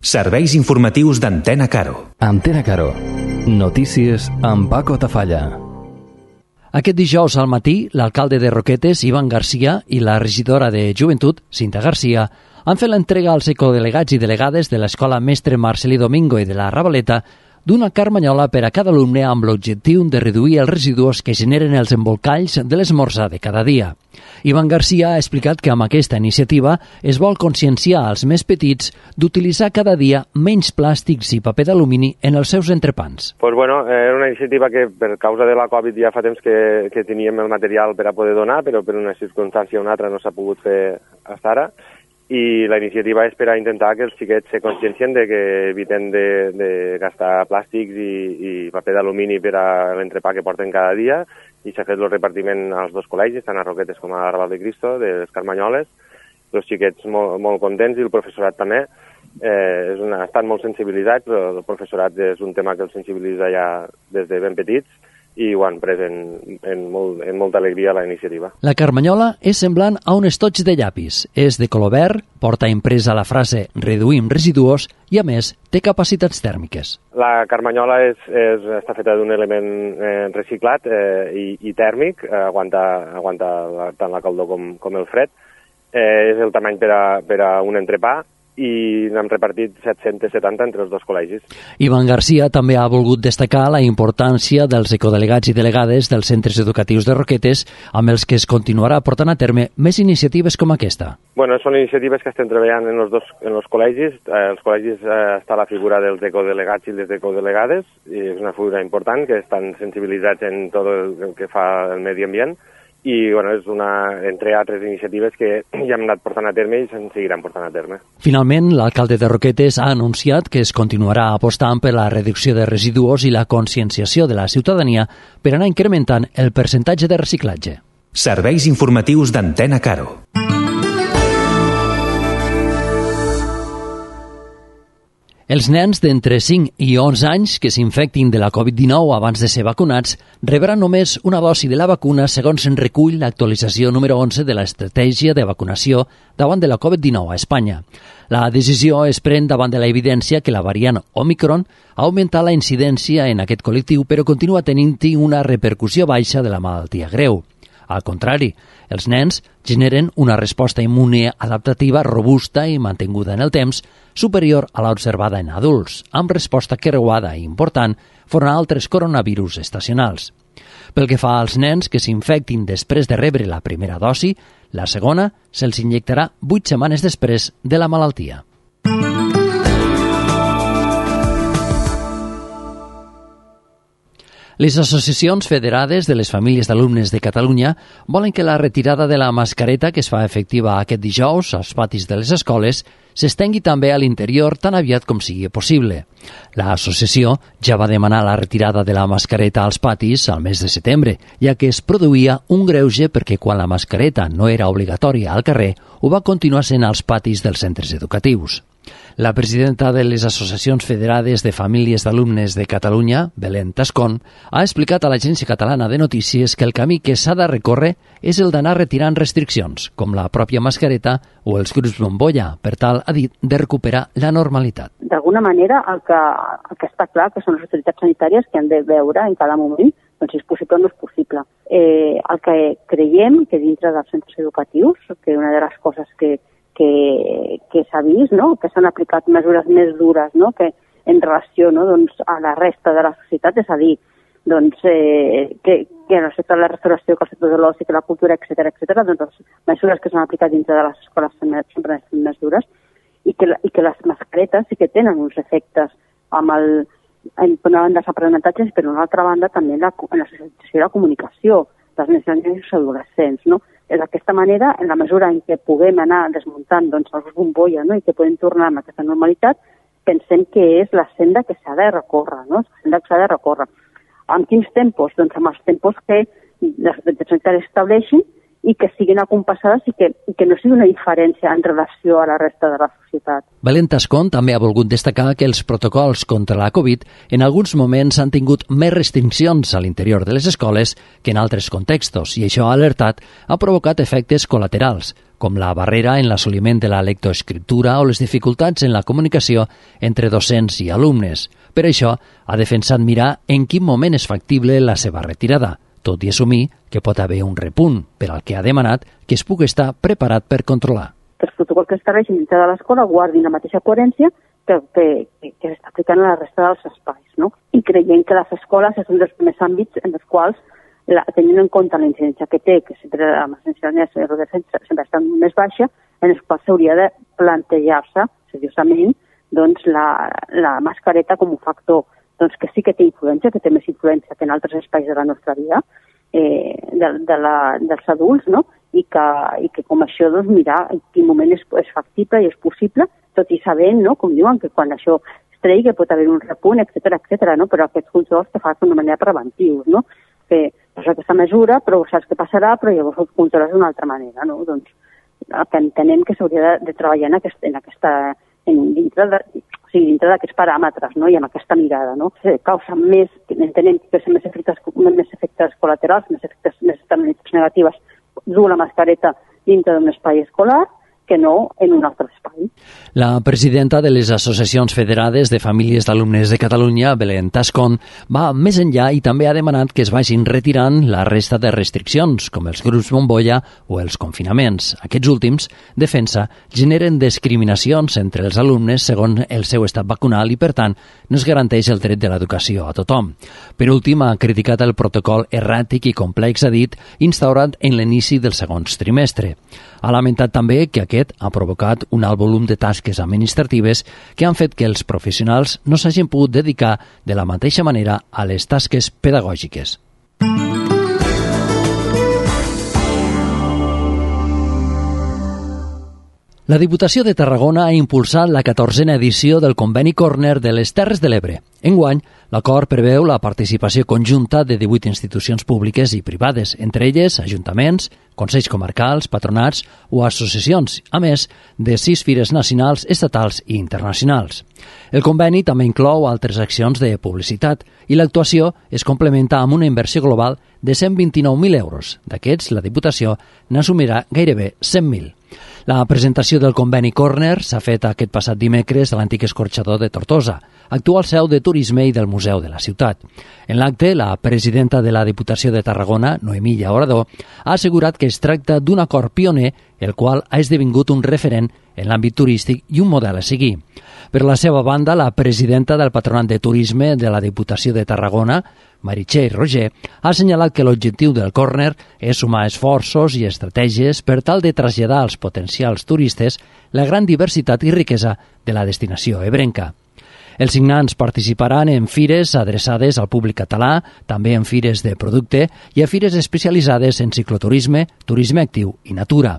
Serveis informatius d'Antena Caro. Antena Caro. Notícies amb Paco Tafalla. Aquest dijous al matí, l'alcalde de Roquetes, Ivan Garcia, i la regidora de Joventut, Cinta Garcia, han fet l'entrega als ecodelegats i delegades de l'Escola Mestre Marcelí Domingo i de la Ravaleta d'una carmanyola per a cada alumne amb l'objectiu de reduir els residus que generen els embolcalls de l'esmorzar de cada dia. Ivan Garcia ha explicat que amb aquesta iniciativa es vol conscienciar als més petits d'utilitzar cada dia menys plàstics i paper d'alumini en els seus entrepans. Era una iniciativa que per causa de la Covid ja fa temps que teníem el material per a poder donar, però per una circumstància o una altra no s'ha pogut fer fins ara. I la iniciativa és per a intentar que els xiquets se consciencien de que eviten de gastar plàstics i paper d'alumini per a l'entrepà que porten cada dia, i s'ha fet el repartiment als dos col·legis, tant a Roquetes com a Raval de Cristo, de les carmanyoles. Els xiquets molt contents i el professorat també. Estan molt sensibilitzats, però el professorat és un tema que els sensibilitza ja des de ben petits, i ho han pres en molta alegria la iniciativa. La carmanyola és semblant a un estoig de llapis. És de color verd, porta impresa la frase «reduïm residus» i, a més, té capacitats tèrmiques. La carmanyola està feta d'un element reciclat i tèrmic, aguanta tant la calor com el fred. És el tamany per a un entrepà, i n'hem repartit 770 entre els dos col·legis. Ivan Garcia també ha volgut destacar la importància dels ecodelegats i delegades dels centres educatius de Roquetes, amb els que es continuarà portant a terme més iniciatives com aquesta. Són iniciatives que estem treballant en els col·legis. Els col·legis està la figura dels ecodelegats i les ecodelegades, i és una figura important, que estan sensibilitzats en tot el que fa el medi ambient. I és entre altres iniciatives que ja hem anat portant a terme i se'n seguiran portant a terme. Finalment, l'alcalde de Roquetes ha anunciat que es continuarà apostant per la reducció de residus i la conscienciació de la ciutadania per anar incrementant el percentatge de reciclatge. Serveis informatius d'Antena Caro. Els nens d'entre 5 i 11 anys que s'infectin de la Covid-19 abans de ser vacunats rebran només una dosi de la vacuna segons en recull l'actualització número 11 de l'estratègia de vacunació davant de la Covid-19 a Espanya. La decisió es pren davant de la evidència que la variant Omicron ha augmentat la incidència en aquest col·lectiu, però continua tenint-hi una repercussió baixa de la malaltia greu. Al contrari, els nens generen una resposta immune adaptativa robusta i mantinguda en el temps, superior a l'observada en adults, amb resposta creuada i important front a altres coronavirus estacionals. Pel que fa als nens que s'infectin després de rebre la primera dosi, la segona se'ls inyectarà 8 setmanes després de la malaltia. Les associacions federades de les famílies d'alumnes de Catalunya volen que la retirada de la mascareta que es fa efectiva aquest dijous als patis de les escoles s'estengui també a l'interior tan aviat com sigui possible. L'associació ja va demanar la retirada de la mascareta als patis al mes de setembre, ja que es produïa un greuge perquè quan la mascareta no era obligatòria al carrer, ho va continuar sent als patis dels centres educatius. La presidenta de les Associacions Federades de Famílies d'Alumnes de Catalunya, Belén Tascón, ha explicat a l'Agència Catalana de Notícies que el camí que s'ha de recórrer és el d'anar retirant restriccions, com la pròpia mascareta o els grups bombolla, per tal, ha dit, de recuperar la normalitat. D'alguna manera, el que està clar que són les autoritats sanitàries que han de veure en cada moment si és possible o no és possible. El que creiem que dintre dels centres educatius, que una de les coses que s'ha vist, no? Que s'han aplicat mesures més dures, no? Que en relació, no? A la resta de la societat, és a dir, que en el sector de la restauració, que el sector de l'oci, que la cultura, etc., les mesures que s'han aplicat dintre de les escoles sempre han estat més dures i que les mascaretes sí que tenen uns efectes per una banda els aprenentatges i per una altra banda també en la socialització i la comunicació dels nens i els adolescents, no? D'aquesta manera, en la mesura en què puguem anar desmuntant els bombolla, no? I que podem tornar amb aquesta normalitat, pensem que és la senda que s'ha de recórrer, no? La senda que s'ha de recórrer. Amb quins tempos? Amb els tempos que les autoritats sanitàries estableixin i que siguin acompassades i que no sigui una diferència en relació a la resta de la societat. Belén Tascón també ha volgut destacar que els protocols contra la Covid en alguns moments han tingut més restriccions a l'interior de les escoles que en altres contextos i això ha alertat ha provocat efectes col·laterals, com la barrera en l'assoliment de la lectoescriptura o les dificultats en la comunicació entre docents i alumnes. Per això, ha defensat mirar en quin moment és factible la seva retirada, tot i assumir que pot haver un repunt, per al que ha demanat que es pugui estar preparat per controlar. Que els protocols que estableixen dintre de l'escola guardin la mateixa coherència que s'està aplicant a la resta dels espais, no? I creiem que les escoles és un dels primers àmbits en els quals, tenint en compte la incidència que té, que sempre amb les incidències sempre està més baixa, en els quals s'hauria de plantejar-se seriosament doncs, la mascareta com un factor doncs, que sí que té influència, que té més influència que en altres espais de la nostra vida, dels adults, no? I que com això, doncs, mirar en quin moment és factible i és possible, tot i sabent, no? Com diuen, que quan això es tregui que pot haver un repunt, etc., no? Però aquests controls que fan d'una manera preventius, no? Que és aquesta mesura, però saps què passarà, però llavors els controles d'una altra manera, no? Doncs que entenem que s'hauria de treballar dintre d'aquests paràmetres, no? I amb aquesta mirada, no? Causa més, entenem que més efectes col·laterals, més externalitats negatives dur la mascareta dintre d'un espai escolar que no en un altre espai. La presidenta de les Associacions Federades de Famílies d'Alumnes de Catalunya, Belén Tascon, va més enllà i també ha demanat que es vagin retirant la resta de restriccions, com els grups bombolla o els confinaments. Aquests últims, defensa, generen discriminacions entre els alumnes segons el seu estat vacunal i, per tant, no es garanteix el dret de l'educació a tothom. Per últim, ha criticat el protocol erràtic i complex, ha dit, instaurat en l'inici del segon trimestre. Ha lamentat també que aquest ha provocat un alt volum de tasques administratives que han fet que els professionals no s'hagin pogut dedicar de la mateixa manera a les tasques pedagògiques. La Diputació de Tarragona ha impulsat la 14a edició del Conveni Corner de les Terres de l'Ebre. Enguany, l'acord preveu la participació conjunta de 18 institucions públiques i privades, entre elles ajuntaments, consells comarcals, patronats o associacions, a més de 6 fires nacionals, estatals i internacionals. El conveni també inclou altres accions de publicitat i l'actuació es complementa amb una inversió global de 129.000 euros. D'aquests, la Diputació n'assumirà gairebé 100.000. La presentació del conveni Corner s'ha fet aquest passat dimecres a l'antic escorxador de Tortosa, actual seu de turisme i del Museu de la Ciutat. En l'acte, la presidenta de la Diputació de Tarragona, Noemí Llaurador, ha assegurat que es tracta d'un acord pioner, el qual ha esdevingut un referent en l'àmbit turístic i un model a seguir. Per la seva banda, la presidenta del Patronat de Turisme de la Diputació de Tarragona, Meritxell Roger, ha assenyalat que l'objectiu del Corner és sumar esforços i estratègies per tal de traslladar als potencials turistes la gran diversitat i riquesa de la destinació ebrenca. Els signants participaran en fires adreçades al públic català, també en fires de producte i a fires especialitzades en cicloturisme, turisme actiu i natura.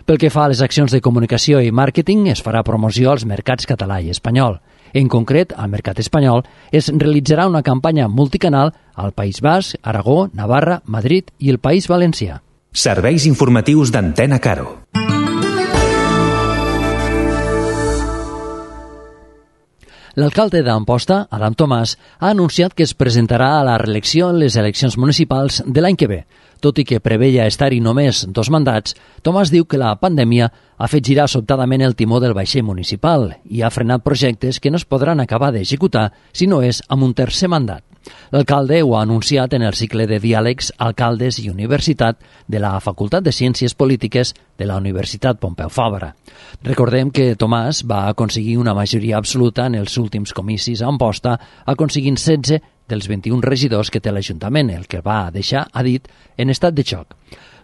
Pel que fa a les accions de comunicació i màrqueting, es farà promoció als mercats català i espanyol. En concret, al mercat espanyol es realitzarà una campanya multicanal al País Basc, Aragó, Navarra, Madrid i el País Valencià. Serveis informatius d'Antena Caro. L'alcalde d'Amposta, Adam Tomàs, ha anunciat que es presentarà a la reelecció en les eleccions municipals de l'any que ve. Tot i que preveia estar-hi només 2 mandats, Tomàs diu que la pandèmia ha fet girar sobtadament el timó del vaixell municipal i ha frenat projectes que no es podran acabar d'executar si no és amb un tercer mandat. L'alcalde ho ha anunciat en el cicle de diàlegs Alcaldes i Universitat de la Facultat de Ciències Polítiques de la Universitat Pompeu Fabra. Recordem que Tomàs va aconseguir una majoria absoluta en els últims comicis a Amposta, aconseguint 16 dels 21 regidors que té l'Ajuntament, el que va deixar, ha dit, en estat de xoc.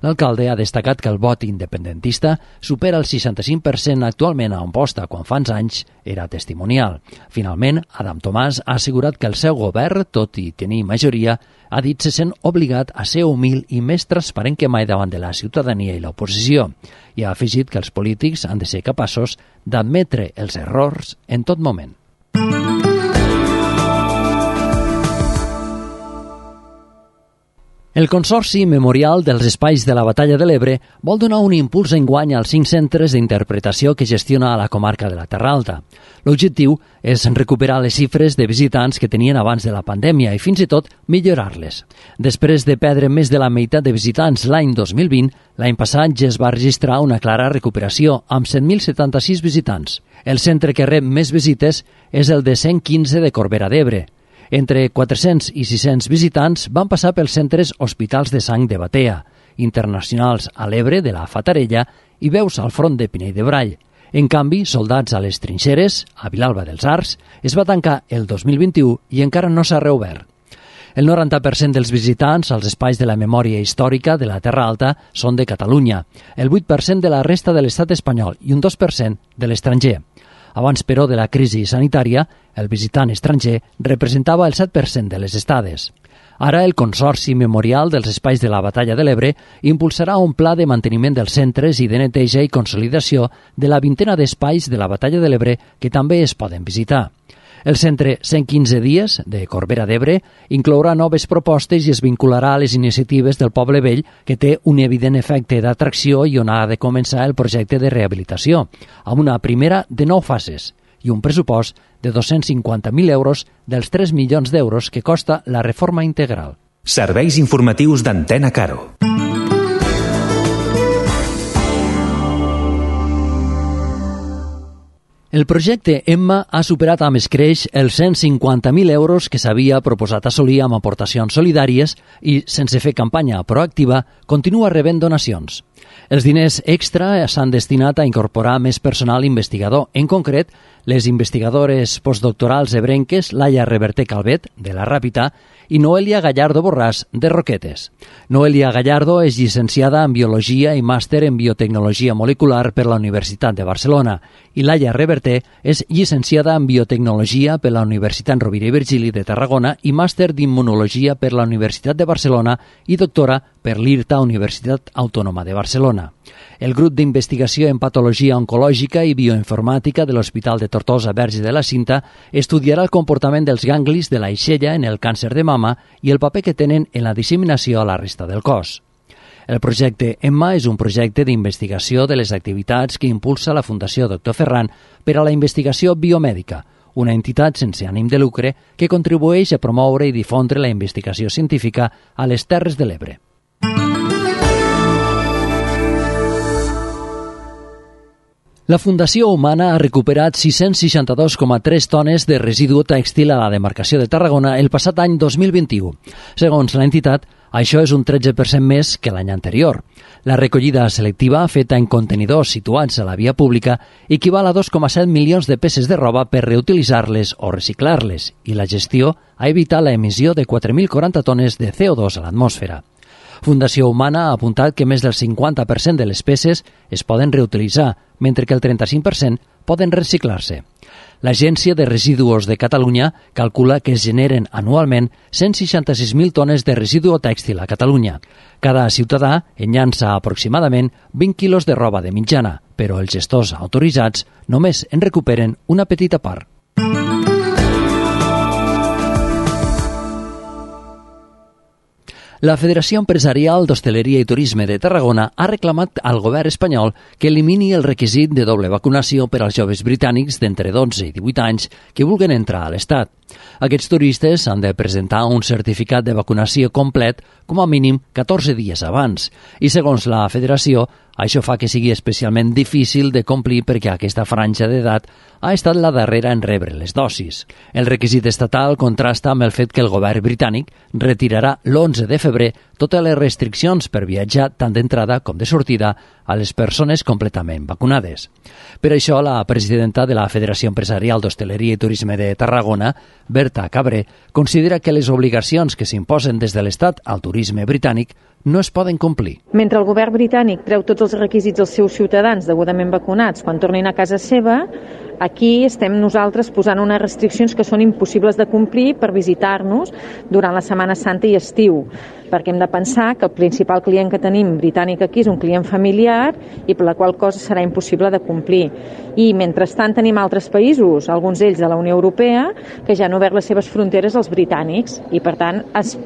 L'alcalde ha destacat que el vot independentista supera el 65% actualment a Amposta, quan fa uns anys era testimonial. Finalment, Adam Tomàs ha assegurat que el seu govern, tot i tenir majoria, ha dit se sent obligat a ser humil i més transparent que mai davant de la ciutadania i l'oposició, i ha afegit que els polítics han de ser capaços d'admetre els errors en tot moment. El Consorci Memorial dels Espais de la Batalla de l'Ebre vol donar un impuls enguany als 5 centres d'interpretació que gestiona a la comarca de la Terra Alta. L'objectiu és recuperar les xifres de visitants que tenien abans de la pandèmia i fins i tot millorar-les. Després de perdre més de la meitat de visitants l'any 2020, l'any passat ja es va registrar una clara recuperació amb 100.076 visitants. El centre que rep més visites és el de 115 de Corbera d'Ebre. Entre 400 i 600 visitants van passar pels centres Hospitals de Sang de Batea, Internacionals a l'Ebre de la Fatarella i Veus al Front de Pinell de Brai. En canvi, Soldats a les Trinxeres, a Vilalba dels Arcs, es va tancar el 2021 i encara no s'ha reobert. El 90% dels visitants als espais de la memòria històrica de la Terra Alta són de Catalunya, el 8% de la resta de l'estat espanyol i un 2% de l'estranger. Abans, però, de la crisi sanitària, el visitant estranger representava el 7% de les estades. Ara, el Consorci Memorial dels Espais de la Batalla de l'Ebre impulsarà un pla de manteniment dels centres i de neteja i consolidació de la 20ena d'espais de la Batalla de l'Ebre que també es poden visitar. El centre 115 dies de Corbera d'Ebre inclourà noves propostes i es vincularà a les iniciatives del Poble Vell, que té un evident efecte d'atracció i on ha de començar el projecte de rehabilitació, amb una primera de 9 fases i un pressupost de 250.000 euros dels 3 milions d'euros que costa la reforma integral. Serveis informatius d'Antena Caro. El projecte Emma ha superat amb escreix els 150.000 euros que s'havia proposat assolir amb aportacions solidàries i, sense fer campanya proactiva, continua rebent donacions. Els diners extra s'han destinat a incorporar més personal investigador, en concret, les investigadores postdoctorals ebrenques Laia Reverter Calvet, de la Ràpita, i Noelia Gallardo Borràs, de Roquetes. Noelia Gallardo és llicenciada en Biologia i màster en Biotecnologia Molecular per la Universitat de Barcelona i Laia Reverter és llicenciada en Biotecnologia per la Universitat Rovira i Virgili de Tarragona i màster d'Immunologia per la Universitat de Barcelona i doctora per l'IRTA Universitat Autònoma de Barcelona. El grup d'investigació en patologia oncològica i bioinformàtica de l'Hospital de Tortosa Verge de la Cinta estudiarà el comportament dels ganglis de l'aixella en el càncer de mama i el paper que tenen en la disseminació a la resta del cos. El projecte Emma és un projecte d'investigació de les activitats que impulsa la Fundació Dr. Ferran per a la investigació biomèdica, una entitat sense ànim de lucre que contribueix a promoure i difondre la investigació científica a les Terres de l'Ebre. La Fundació Humana ha recuperat 662,3 tones de residu tèxtil a la demarcació de Tarragona el passat any 2021. Segons l'entitat, això és un 13% més que l'any anterior. La recollida selectiva, feta en contenidors situats a la via pública, equival a 2,7 milions de peces de roba per reutilitzar-les o reciclar-les, i la gestió ha evitat l'emissió de 4.040 tones de CO2 a l'atmosfera. Fundació Humana ha apuntat que més del 50% de les peces es poden reutilitzar, mentre que el 35% poden reciclar-se. L'Agència de Residus de Catalunya calcula que es generen anualment 166.000 tones de residu tèxtil a Catalunya. Cada ciutadà enllança aproximadament 20 quilos de roba de mitjana, però els gestors autoritzats només en recuperen una petita part. La Federació Empresarial d'Hostaleria i Turisme de Tarragona ha reclamat al govern espanyol que elimini el requisit de doble vacunació per als joves britànics d'entre 12 i 18 anys que vulguin entrar a l'Estat. Aquests turistes han de presentar un certificat de vacunació complet com a mínim 14 dies abans i, segons la Federació, això fa que sigui especialment difícil de complir perquè aquesta franja d'edat ha estat la darrera en rebre les dosis. El requisit estatal contrasta amb el fet que el govern britànic retirarà l'11 de febrer totes les restriccions per viatjar tant d'entrada com de sortida a les persones completament vacunades. Per això, la presidenta de la Federació Empresarial d'Hostaleria i Turisme de Tarragona, Berta Cabré, considera que les obligacions que s'imposen des de l'Estat al turisme britànic no es poden complir. Mentre el govern britànic treu tots els requisits als seus ciutadans degudament vacunats quan tornin a casa seva, Aquí estem nosaltres posant unes restriccions que són impossibles de complir per visitar-nos durant la Setmana Santa i estiu, perquè hem de pensar que el principal client que tenim britànic aquí és un client familiar i per la qual cosa serà impossible de complir. I mentrestant tenim altres països, alguns d'ells de la Unió Europea, que ja han obert les seves fronteres als britànics i per tant es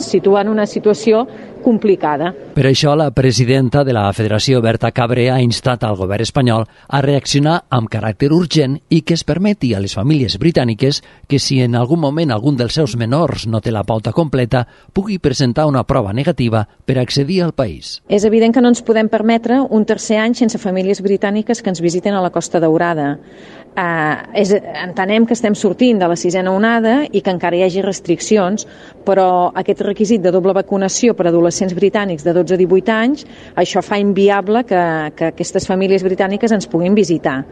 situa en una situació complicada. Per això, la presidenta de la Federació, Berta Cabré, ha instat al govern espanyol a reaccionar amb caràcter urgent i que es permeti a les famílies britàniques que, si en algun moment algun dels seus menors no té la pauta completa, pugui presentar una prova negativa per accedir al país. És evident que no ens podem permetre un tercer any sense famílies britàniques que ens visiten a la Costa Daurada. Entenem que estem sortint de la 6a onada i que encara hi hagi restriccions, però aquest requisit de doble vacunació per a adolescents britànics de 12 a 18 anys, això fa inviable que aquestes famílies britàniques ens puguin visitar.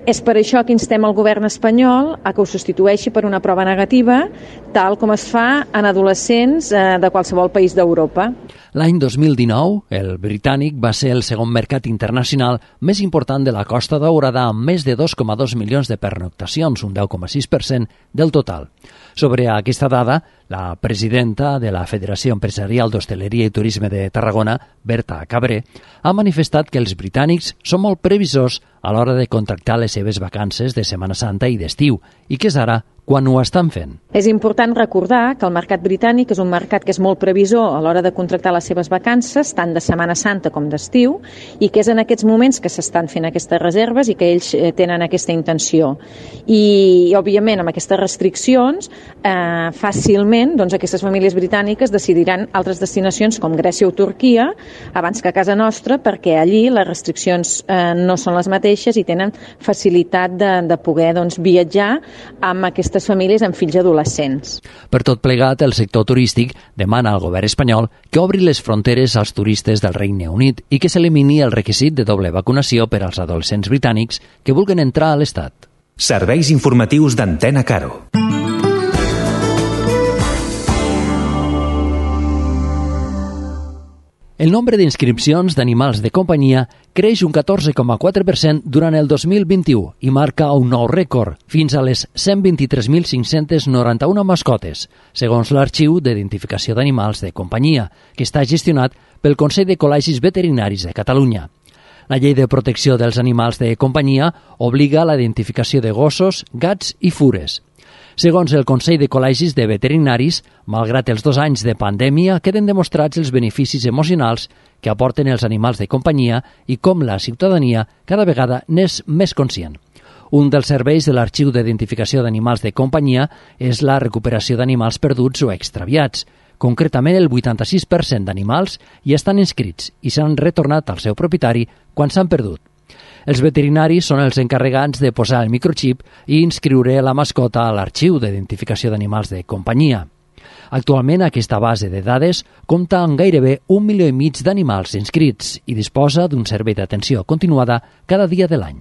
És per això que instem al govern espanyol a que ho substitueixi per una prova negativa, tal com es fa en adolescents de qualsevol país d'Europa. L'any 2019, el britànic va ser el segon mercat internacional més important de la Costa Daurada, amb més de 2,2 milions de pernoctacions, un 10,6% del total. Sobre aquesta dada, la presidenta de la Federació Empresarial d'Hostaleria i Turisme de Tarragona, Berta Cabré, ha manifestat que els britànics són molt previsors a l'hora de contractar les seves vacances de Setmana Santa i d'estiu, i que és ara quan ho estan fent. És important recordar que el mercat britànic és un mercat que és molt previsor a l'hora de contractar les seves vacances, tant de Setmana Santa com d'estiu, i que és en aquests moments que s'estan fent aquestes reserves i que ells tenen aquesta intenció. I òbviament, amb aquestes restriccions, fàcilment aquestes famílies britàniques decidiran altres destinacions com Grècia o Turquia abans que a casa nostra, perquè allí les restriccions no són les mateixes i tenen facilitat de poder viatjar amb aquestes famílies amb fills adolescents. Per tot plegat, el sector turístic demana al govern espanyol que obri les fronteres als turistes del Regne Unit i que s'elimini el requisit de doble vacunació per als adolescents britànics que vulguin entrar a l'Estat. Serveis informatius d'Antena Caro. El nombre d'inscripcions d'animals de companyia creix un 14,4% durant el 2021 i marca un nou rècord, fins a les 123.591 mascotes, segons l'Arxiu d'Identificació d'Animals de Companyia, que està gestionat pel Consell de Col·legis Veterinaris de Catalunya. La Llei de Protecció dels Animals de Companyia obliga a la identificació de gossos, gats i fures. Segons el Consell de Col·legis de Veterinaris, malgrat els 2 anys de pandèmia, queden demostrats els beneficis emocionals que aporten els animals de companyia i com la ciutadania cada vegada n'és més conscient. Un dels serveis de l'Arxiu d'Identificació d'Animals de Companyia és la recuperació d'animals perduts o extraviats. Concretament, el 86% d'animals hi estan inscrits i s'han retornat al seu propietari quan s'han perdut. Els veterinaris són els encarregats de posar el microxip i inscriure la mascota a l'Arxiu d'Identificació d'Animals de Companyia. Actualment, aquesta base de dades compta amb gairebé 1,5 milió d'animals inscrits i disposa d'un servei d'atenció continuada cada dia de l'any.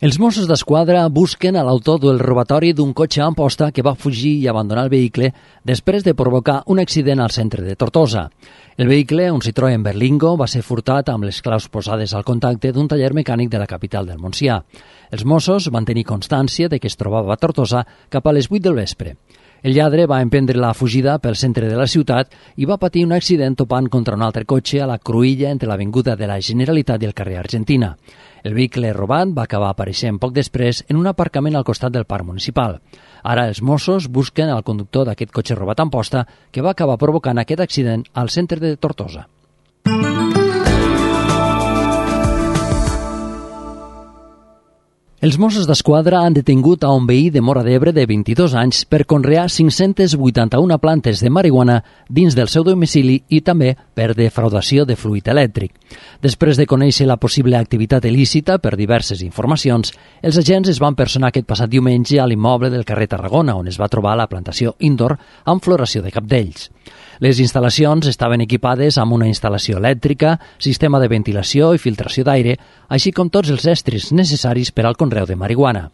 Els Mossos d'Esquadra busquen a l'autor del robatori d'un cotxe a Amposta que va fugir i abandonar el vehicle després de provocar un accident al centre de Tortosa. El vehicle, un Citroën Berlingo, va ser furtat amb les claus posades al contacte d'un taller mecànic de la capital del Montsià. Els Mossos van tenir constància de que es trobava a Tortosa cap a les 8 del vespre. El lladre va emprendre la fugida pel centre de la ciutat i va patir un accident topant contra un altre cotxe a la cruïlla entre l'Avinguda de la Generalitat i el carrer Argentina. El vehicle robat va acabar apareixent poc després en un aparcament al costat del parc municipal. Ara els Mossos busquen el conductor d'aquest cotxe robat a Amposta que va acabar provocant aquest accident al centre de Tortosa. Els Mossos d'Esquadra han detingut a un veí de Móra d'Ebre de 22 anys per conrear 581 plantes de marihuana dins del seu domicili i també per defraudació de fluid elèctric. Després de conèixer la possible activitat il·lícita per diverses informacions, els agents es van personar aquest passat diumenge a l'immoble del carrer Tarragona, on es va trobar la plantació indoor amb floració de cabdells. Les instal·lacions estaven equipades amb una instal·lació elèctrica, sistema de ventilació i filtració d'aire, així com tots els estris necessaris per al conreu de marihuana.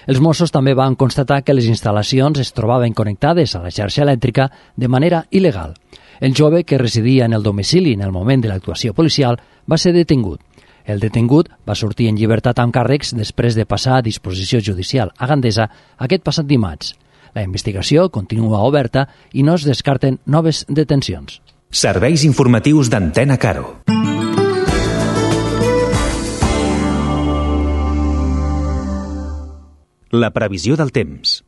Els Mossos també van constatar que les instal·lacions es trobaven connectades a la xarxa elèctrica de manera il·legal. El jove, que residia en el domicili en el moment de l'actuació policial, va ser detingut. El detingut va sortir en llibertat amb càrrecs després de passar a disposició judicial a Gandesa aquest passat dimarts. La investigació continua oberta i no es descarten noves detencions. Serveis informatius d'Antena Caro. La previsió del temps.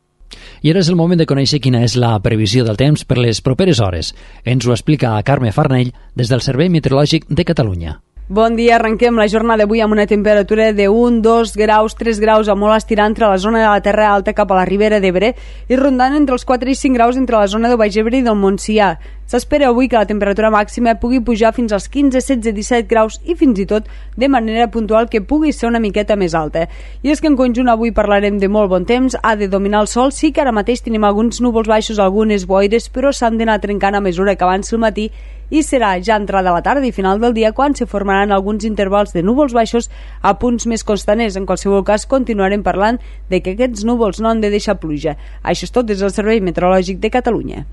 I ara és el moment de conèixer quina és la previsió del temps per les properes hores. Ens ho explica Carme Farnell des del Servei Meteorològic de Catalunya. Bon dia, arrenquem la jornada d'avui amb una temperatura de 1, 2 graus, 3 graus a molt estirar entre la zona de la Terra Alta cap a la Ribera d'Ebre i rondant entre els 4 i 5 graus entre la zona de Baix Ebre i del Montsià. S'espera avui que la temperatura màxima pugui pujar fins als 15, 16, 17 graus i fins i tot de manera puntual que pugui ser una miqueta més alta. I és que en conjunt avui parlarem de molt bon temps, ha de dominar el sol, sí que ara mateix tenim alguns núvols baixos, algunes boires, però s'han d'anar trencant a mesura que avanci el matí i serà ja entrada a la tarda i final del dia quan se formaran alguns intervals de núvols baixos a punts més costaners. En qualsevol cas, continuarem parlant de que aquests núvols no han de deixar pluja. Això és tot des del Servei Meteorològic de Catalunya.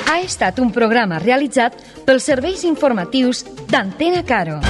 Ha estat un programa realitzat pels serveis informatius d'Antena Caro.